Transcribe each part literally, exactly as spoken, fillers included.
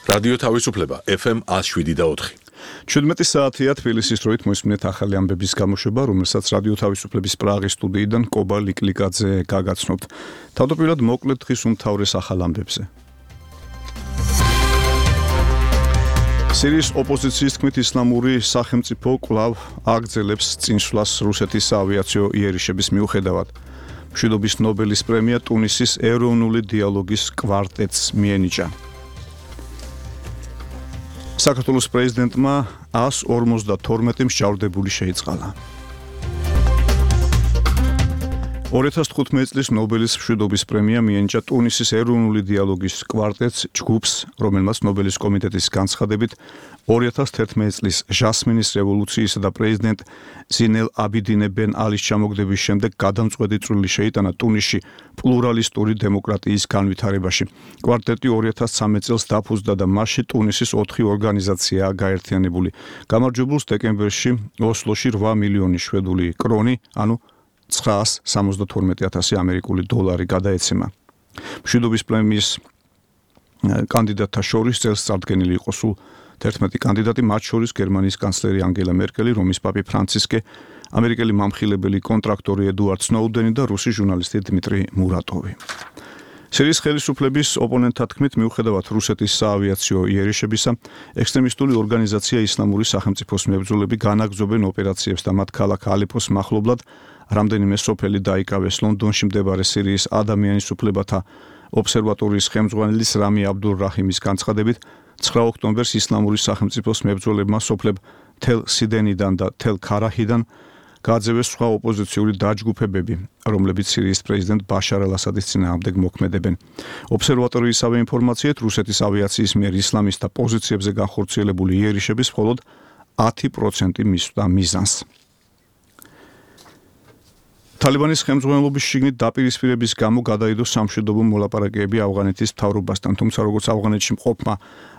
რადიო თავისუფლება ეფ ემ one oh seven და four. ჩვიდმეტი საათია თბილისის დროით მოისმინეთ ახალი ამბების გამოშვება, რომელსაც რადიო თავისუფლების პრაღის სტუდიიდან კობა ლიკლიკაძე გაგაცნობთ. თავდაპირველად მოკლედ დღის უმთავრეს ახალ ამბებზე. სირიის ოპოზიციის თქმით ისლამური სახელმწიფო კვლავ აგრძელებს წინსვლას რუსეთის საავიაციო იერიშების მიუხედავად. მშვიდობის ნობელის პრემია ტუნისის ეროვნული დიალოგის კვარტეტს მიენიჭა. საქართველოს პრეზიდენტმა one forty-two მსჯავრდებული შეიწყალა. two thousand fifteen წლის ნობელის მშვიდობის პრემია მიენიჭა ტუნისის ეროვნული დიალოგის კვარტეტს ჯგუფს, რომელმაც ნობელის კომიტეტის განცხადებით two thousand eleven წლის ჟასმინის რევოლუციისა და პრეზიდენტ ზინელ აბიდინე ბენ ალის ჩამოგდების შემდეგ გადამწყვეტი წვლილი შეიტანა ტუნისში პლურალისტური დემოკრატიის განვითარებაში. კვარტეტი two thousand thirteen წელს დაფუძნდა და მასში ტუნისის ოთხი ორგანიზაციაა გაერთიანებული. გამარჯვებულს დეკემბერში ოსლოში eight მილიონი შვედური კრონი, ანუ nine hundred seventy-two thousand ამერიკული დოლარი გადაეცემა. მშვიდობის პრემიის კანდიდატთა შორის წელს წარდგენილი იყო სულ eleven კანდიდატი, მათ შორის გერმანიის კანცლერი ანგელა მერკელი, რომის პაპი ფრანცისკე, ამერიკელი მამხილებელი კონტრაქტორი ედუარდ სნოუდენი და რუსი ჟურნალისტი დმიტრი მურატოვი. სირიის ხელისუფლების ოპონენტთა თქმით, მიუხედავად რუსეთის საავიაციო იერიშებისა, ექსტრემისტული ორგანიზაცია ისლამური სახელმწიფოს მებრძოლები განაგრძობენ ოპერაციებს და მათ ქალაქ ალეპოს მახლობლად რამდენიმე სოფელი დაიკავეს. ლონდონში მდებარე სირიის ადამიანის უფლებათა ობსერვატორიის ხელმძღვანელის რამი აბდულ რაჰიმის განცხადებით, nine ოქტომბერს ისლამური სახელმწიფოს მებრძოლებმა სოფლებ თელ სიდენიდან და თელ ქარაჰიდან გააძევეს სხვა ოპოზიციური დაჯგუფებები, რომლებიც სირიის პრეზიდენტ ბაშარ ალ-ასადის წინააღმდეგ მოქმედებენ. ობსერვატორიისავე ინფორმაციით, რუსეთის ავიაციის მიერ ისლამისტთა პოზიციებზე განხორციელებული იერიშების მხოლოდ ten percent მისვდა მიზანს. თალიბანის ხელმძღვანელობის შიგნით დაპირისპირების გამო გადაიდო სამშვიდობო მოლაპარაკებები ავღანეთის მთავრობასთან, თუმცა როგორც ავღანეთში მყოფმა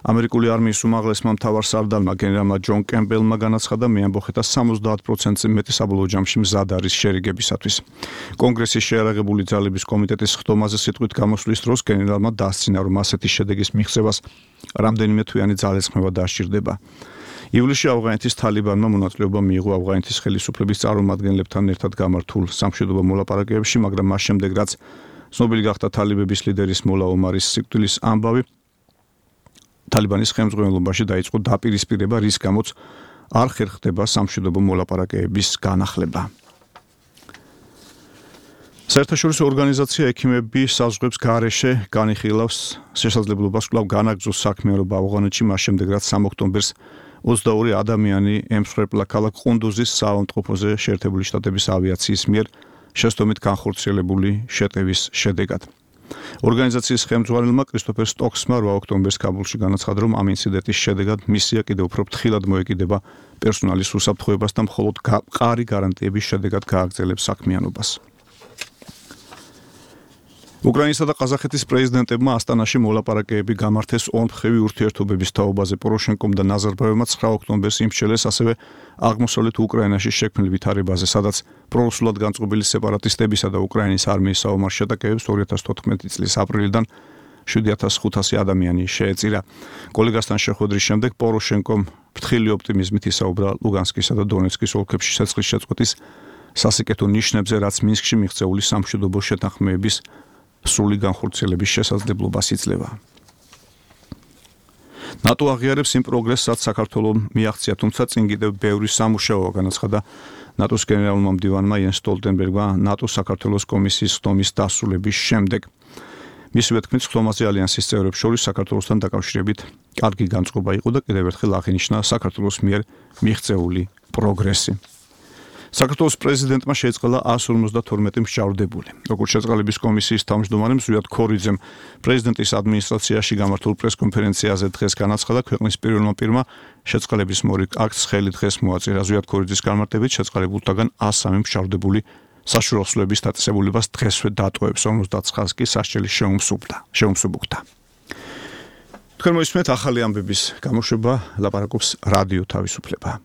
ამერიკული არმიის უმაღლესმა მთავარსარდალმა გენერალმა ჯონ კემპბელმა განაცხადა, მეამბოხეთა seventy percent-ზე მეტი საბოლოო ჯამში მზად არის შერიგებისათვის. კონგრესის შეიარაღებული ძალების კომიტეტის ხდომაზე სიტყვით გამოსვლის დროს გენერალმა დასცინა, რომ ასეთი შედეგის მიღწევას რამდენიმე თვიანი ძალისხმევა დასჭირდება. ივლისში ავღანეთის თალიბანმა მონაწილეობა მიიღო ავღანეთის ხელისუფლების წარმომადგენლებთან ერთად გამართულ სამშვიდობო მოლაპარაკებებში, მაგრამ მას შემდეგ, რაც ცნობილი გახდა თალიბების ლიდერის მოლა ომარის სიკვდილის ამბავი, თალიბანის ხელმძღვანელობაში დაიწყო დაპირისპირება, რის გამოც არ ხერხდება სამშვიდობო მოლაპარაკებების განახლება. საერთაშორისო ორგანიზაცია ექიმები საზღვრებს გარეშე განიხილავს შესაძლებლობას კვლავ განაგრძოს საქმიანობა ავღანეთში, მას შემდეგ, რაც three ოქტომბერს twenty-two ადამიანი ემსხვერპლა ქალაქ ყუნდუზის საავადმყოფოზე შეერთებული შტატების ავიაციის მიერ შესდომით განხორციელებული შეტევის შედეგად. ორგანიზაციის ხელმძღვანელმა კრისტოფერ სტოქსმა eight ოქტომბერს კაბულში განაცხადა, რომ ამ ინციდენტის შედეგად მისია კიდევ უფრო ფრთხილად მოეკიდება პერსონალის უსაფრთხოებას და მხოლოდ მყარი გარანტიების შედეგად გააგრძელებს საქმიანობას. უკრაინისა და ყაზახეთის პრეზიდენტებმა ასტანაში მოლაპარაკებები გამართეს ორმხრივი ურთიერთობების თაობაზე. პოროშენკომ და ნაზარბაევმა nine ოქტომბერს იმსჩელეს ასევე აღმოსავლეთ უკრაინაში შექმნილ ვითარებაზე, სადაც პრორუსულად განწყობილი სეპარატისტებისა და უკრაინის არმიის საომარ შეტაკებებს two thousand fourteen წლის აპრილიდან seven thousand five hundred ადამიანი შეეწირა. კოლეგასთან შეხვედრის შემდეგ პოროშენკომ ფრთხილი ოპტიმიზმით ისაუბრა ლუგანსკისა და დონეცკის ოლქებში ცეცხლის შეწყვეტის სასიკეთო ნიშნებზე, რაც მინსკში მიღწეული სამშვიდობო შეთანხმებების სრული განხორციელების შესაძლებლობას იძლევა. ნატო აღიარებს იმ პროგრესს, რაც საქართველომ მიაღწია, თუმცა წინ კიდევ ბევრი სამუშაოა, განაცხადა ნატოს გენერალურმა მდივანმა იენს სტოლტენბერგმა ნატო საქართველოს კომისიის ხდომის დასრულების შემდეგ. მისივე თქმით, ხდომაზე ალიანსის წევრებს შორის საქართველოსთან დაკავშირებით კარგი განწყობა იყო და კიდევ ერთხელ აღინიშნა საქართველოს მიერ მიღწეული პროგრესი. საქართველოს პრეზიდენტმა შეწყალა one forty-two მსჯავრდებული. როგორც შეწყალების კომისიის თავმჯდომარემ ზვიად ქორიძემ პრეზიდენტის ადმინისტრაციაში გამართულ პრესკონფერენციაზე დღეს განაცხადა, ქვეყნის პირველმა პირმა შეწყალების მორიგ აქტს ხელი დღეს მოაწირა. ზვიად ქორიძის განმარტებით შეწყალებულთაგან one oh three მსჯავრდებული საშუალებლების დაწესებულებას დღესვე დატოვებს, fifty-nine კი სასჯელი შეუმსუბუქდა. შეუმსუბუქდა. თქვენ მოისმენთ ახალი ამბების გამოშვება, ლაპარაკობს რადიო თავისუფლება.